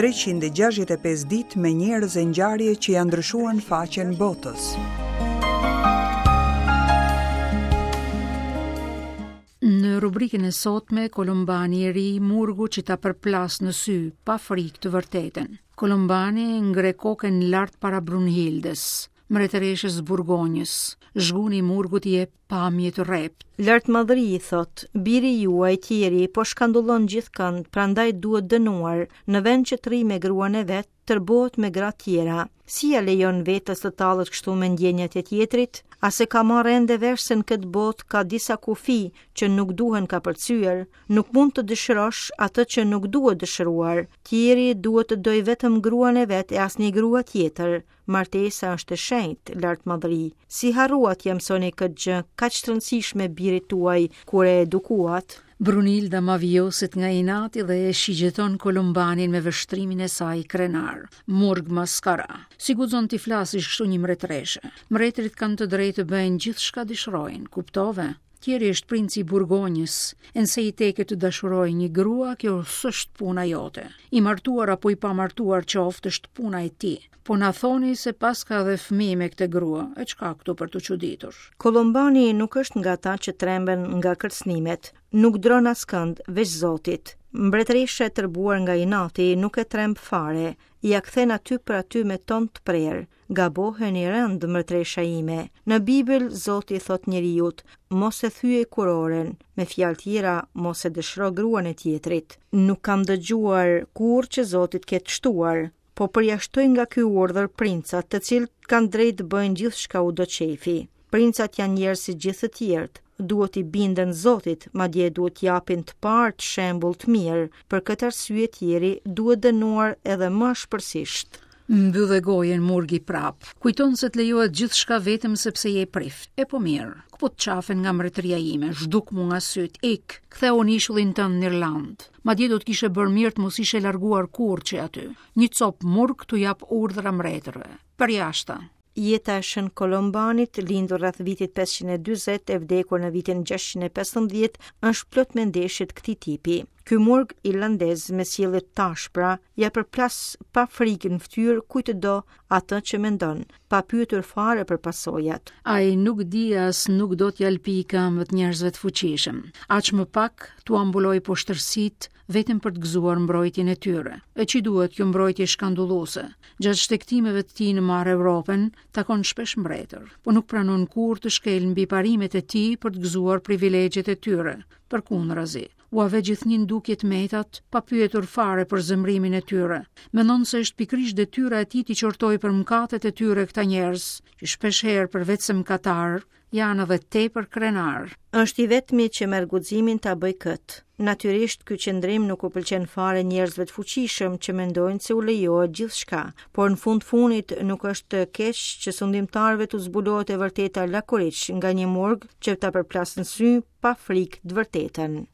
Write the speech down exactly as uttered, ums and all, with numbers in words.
treqind e gjashtëdhjetë e pesë ditë me njerëz e ngjarje që janë ndryshuar në faqen botës. Në rubrikën e sotme, Kolombani i ri, murgu që ta përplas në sy, pa frikë të vërtetën. Kolombani ngre kokën lart para Brunhildës, mbretëreshës Burgonjës. Zhguni i murgut i jep pamje të rreptë. Lartmadhëri i thot, biri juaj Tieri po shkandullon gjithkënd, prandaj duhet dënuar, në vend që të rri me gruan e vet, tërbohet me gra tjera. Si ja lejon vetes të tallet kështu me ndjenjat e tjetrit? A se ka marrë ende vesh se në këtë botë ka disa kufi që nuk duhen kapërcyer? Nuk mund të dëshirosh atë që nuk duhet dëshiruar. Tieri duhet të dojë vetëm gruan e vet e asnjë grua tjetër. Martesa është e shenjtë, lartmadhëri. Si harruat t'ia mësoni këtë gjë kaq të rëndësishme birit tuaj kur e edukuat? Brunilda mavioset nga inati dhe e shigjeton Kolombanin me vështrimin e saj krenar. Murg maskara. Si guxon t'i flasish kështu një mbretëreshe? Mbretërit kanë të drejtë të bëjnë gjithçka dëshirojnë, kuptove? Tieri është princi i Burgonjës, e nëse i teke të dashurojë një grua, kjo s'është puna jote. I martuar apo i pamartuar qoftë është puna e tij. Po na thoni se paska edhe fëmijë me këtë grua, e çka këtu për t'u çuditur? Kolombani nuk është nga ata që tremben nga kërcënimet, nuk dron askënd veç Zotit. Mbretëresha e tërbuar nga inati nuk e tremb fare, ia kthen aty për aty me ton të prerë. Gaboheni rënd, mbretëresha ime. Në Bibël Zoti thot njeriut, mos e thyej kuroren, me fjalë tjera, mos e dëshiro gruan e tjetrit. Nuk kam dëgjuar kurrë që Zoti të ketë shtuar, po përjashtoj nga ky urdhër princat, të cilët kanë drejtë të bëjnë gjithçka u do qejfi. Princat janë njerëz si gjithë të tjerët, duhet i binden Zotit, madje duhet japin të parë të shembull të mirë. Për këtë arsye Tieri duhet dënuar edhe më ashpërsisht. Mbyllë gojën murgi prap. Kujton se të lejohet gjithçka vetëm sepse je prift. E po mirë, këput qafen nga mbretëria ime, zhduk mu nga syt, ik, ktheu në ishullin tënd në Irlandë. Madje do të kishe bërë mirë të mos ishe larguar kurrë që aty. Një cop murg t'u jap urdhra mbretërve. Përjashta. Jeta e Shën Kolombanit, lindur rreth vitit pesëqind e dyzet e vdekur në vitin gjashtëqind e pesëmbëdhjetë, është plot me ndeshje të këtij tipi. Ky murg irlandez me sjellje të ashpra ja përplas pa frikë në fytyrë kujt të do atë që mendon, pa pyetur fare për pasojat. Ai nuk di as nuk do t'ja lpi këmbët njerëzve të fuqishëm, aq më pak t'u mbuloj poshtërsitë vetëm për të gëzuar mbrojtjen e tyre. E që duhet kjo mbrojtje shkandulluese? Gjatë shtegtimeve të tij në marë Evropën, takon shpesh mbretër, po nuk pranon kurrë të shkel mbi parimet e tij për të gëzuar privilegjet e tyre. Përkundrazi, ua vë gjithnjë në dukje të metat, pa pyetur fare për zemrimin e tyre. Mendon se është pikërisht detyra e tij t'i qortojë për mëkatet e tyre këta njerëz, që shpesh herë përveç se mëkatar, janë edhe tepër krenar. Është i vetmi që merr guximin ta bëj këtë. Natyrisht, ky qëndrim nuk u pëlqen fare njerëzve të fuqishëm që mendojnë se u lejohet gjithçka, por në fund funit nuk është keq që sundimtarëve t'u zbulohet e vërteta lakuriq nga një murg që ta përplasë në sy pa frikë të vërtetën.